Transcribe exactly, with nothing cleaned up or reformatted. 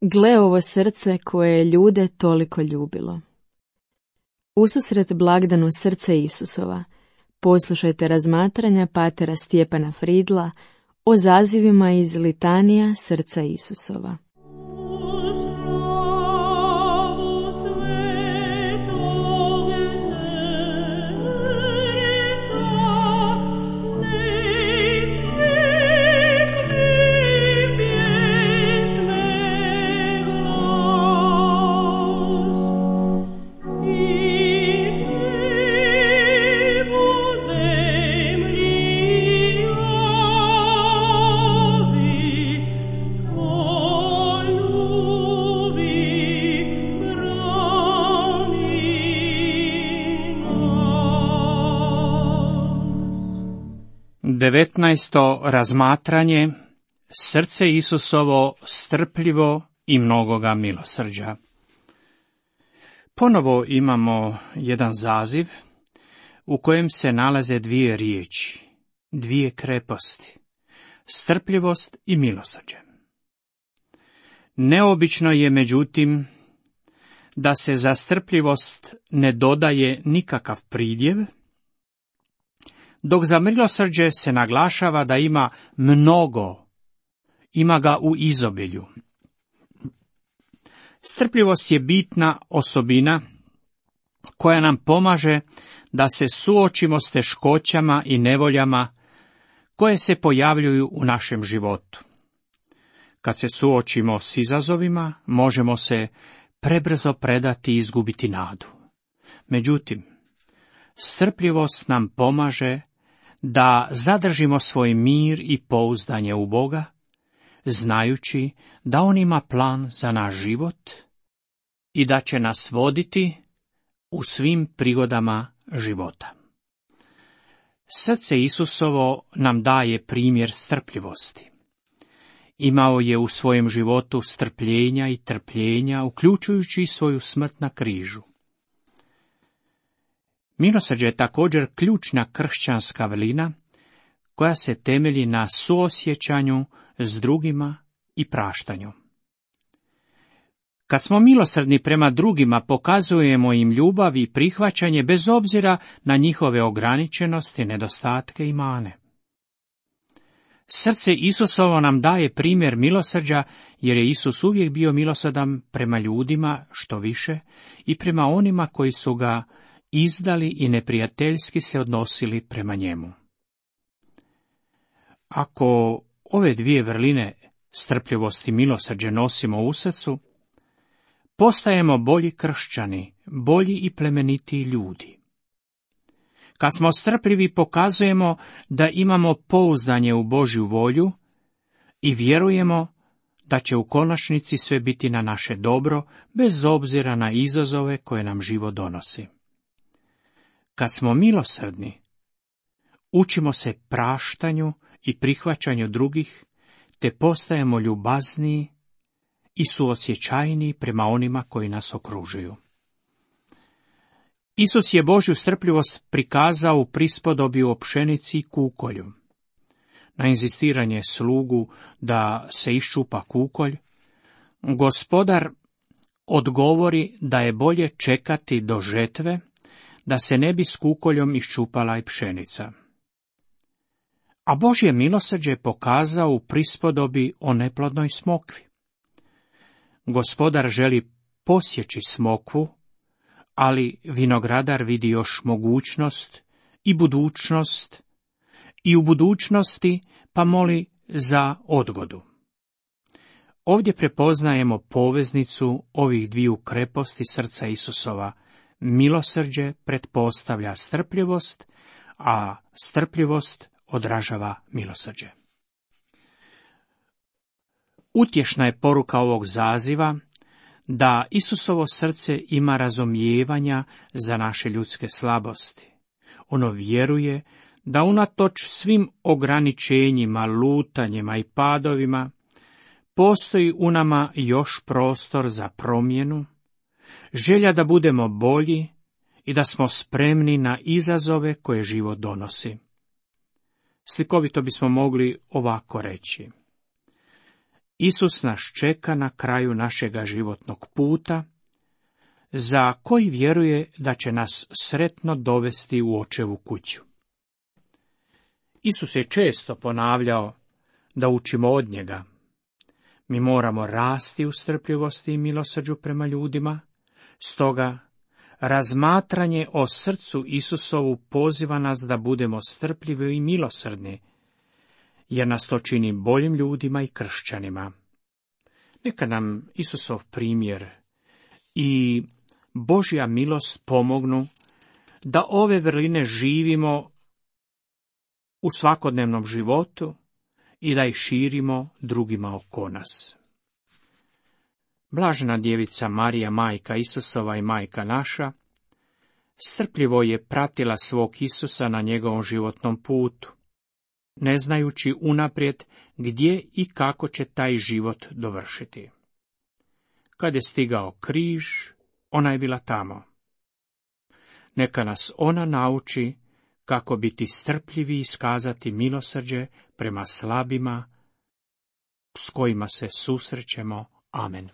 Gle ovo srce koje je ljude toliko ljubilo. Ususret blagdanu srce Isusova, poslušajte razmatranja patera Stjepana Fridla o zazivima iz litanija srca Isusova. devetnaesto razmatranje. Srce Isusovo strpljivo i mnogoga milosrđa. Ponovo imamo jedan zaziv u kojem se nalaze dvije riječi, dvije kreposti, strpljivost i milosrđe. Neobično je, međutim, da se za strpljivost ne dodaje nikakav pridjev, dok za milosrđe se naglašava da ima mnogo, ima ga u izobilju. Strpljivost je bitna osobina koja nam pomaže da se suočimo s teškoćama i nevoljama koje se pojavljuju u našem životu. Kad se suočimo s izazovima, možemo se prebrzo predati i izgubiti nadu. Međutim, strpljivost nam pomaže da zadržimo svoj mir i pouzdanje u Boga, znajući da On ima plan za naš život i da će nas voditi u svim prigodama života. Srce Isusovo nam daje primjer strpljivosti. Imao je u svojem životu strpljenja i trpljenja, uključujući svoju smrt na križu. Milosrđe je također ključna kršćanska vrlina koja se temelji na suosjećanju s drugima i praštanju. Kad smo milosrdni prema drugima, pokazujemo im ljubav i prihvaćanje bez obzira na njihove ograničenosti, nedostatke i mane. Srce Isusovo nam daje primjer milosrđa, jer je Isus uvijek bio milosrdan prema ljudima, što više, i prema onima koji su ga izdali i neprijateljski se odnosili prema njemu. Ako ove dvije vrline, strpljivost i milosrđe, nosimo u srcu, postajemo bolji kršćani, bolji i plemenitiji ljudi. Kad smo strpljivi, pokazujemo da imamo pouzdanje u Božju volju i vjerujemo da će u konačnici sve biti na naše dobro, bez obzira na izazove koje nam život donosi. Kad smo milosrdni, učimo se praštanju i prihvaćanju drugih, te postajemo ljubazniji i suosjećajniji prema onima koji nas okružuju. Isus je Božju strpljivost prikazao u prispodobi o pšenici i kukolju. Na inzistiranje slugu da se iščupa kukolj, gospodar odgovori da je bolje čekati do žetve, da se ne bi s kukoljom iščupala i pšenica. A Božje milosrđe je pokazao u prispodobi o neplodnoj smokvi. Gospodar želi posjeći smokvu, ali vinogradar vidi još mogućnost i budućnost, i u budućnosti pa moli za odgodu. Ovdje prepoznajemo poveznicu ovih dviju kreposti srca Isusova. Milosrđe pretpostavlja strpljivost, a strpljivost odražava milosrđe. Utješna je poruka ovog zaziva da Isusovo srce ima razumijevanja za naše ljudske slabosti. Ono vjeruje da unatoč svim ograničenjima, lutanjima i padovima postoji u nama još prostor za promjenu, želja da budemo bolji i da smo spremni na izazove koje život donosi. Slikovito bismo mogli ovako reći. Isus nas čeka na kraju našega životnog puta, za koji vjeruje da će nas sretno dovesti u očevu kuću. Isus je često ponavljao da učimo od njega. Mi moramo rasti u strpljivosti i milosrđu prema ljudima, stoga razmatranje o srcu Isusovu poziva nas da budemo strpljivi i milosrdni, jer nas to čini boljim ljudima i kršćanima. Neka nam Isusov primjer i Božja milost pomognu da ove vrline živimo u svakodnevnom životu i da ih širimo drugima oko nas. Blažena djevica Marija, majka Isusova i majka naša, strpljivo je pratila svog Isusa na njegovom životnom putu, ne znajući unaprijed gdje i kako će taj život dovršiti. Kad je stigao križ, ona je bila tamo. Neka nas ona nauči kako biti strpljivi i iskazati milosrđe prema slabima s kojima se susrećemo. Amen.